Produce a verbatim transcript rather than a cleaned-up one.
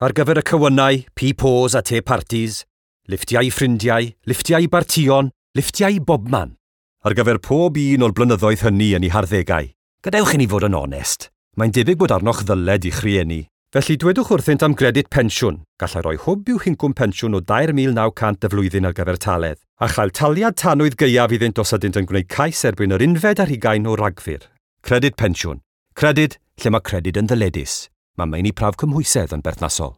Ar gyfer y cywynnau, pi-pos a te parties, lifftiau i ffrindiau, lifftiau i bartïon, lifftiau i bobman. Ar gyfer pob un o'r blynyddoedd hynny yn eu harddegau. Gadewch i ni fod yn onest. Mae'n debyg bod arnoch ddyled i'ch rhieni. Felly dwedwch wrthynt am gredyd pensiwn. Gallai roi hwb i'w hincwm pensiwn o dair mil naw cant y flwyddyn ar gyfer taledd, a chael taliad tanwydd gaeaf iddynt os ydynt yn gwneud cais erbyn yr unfed ar hugain o Ragfyr. Credyd pensiwn. Credyd lle mae credyd yn ddyledus. Mae meini prawf cymhwysedd yn berthnasol.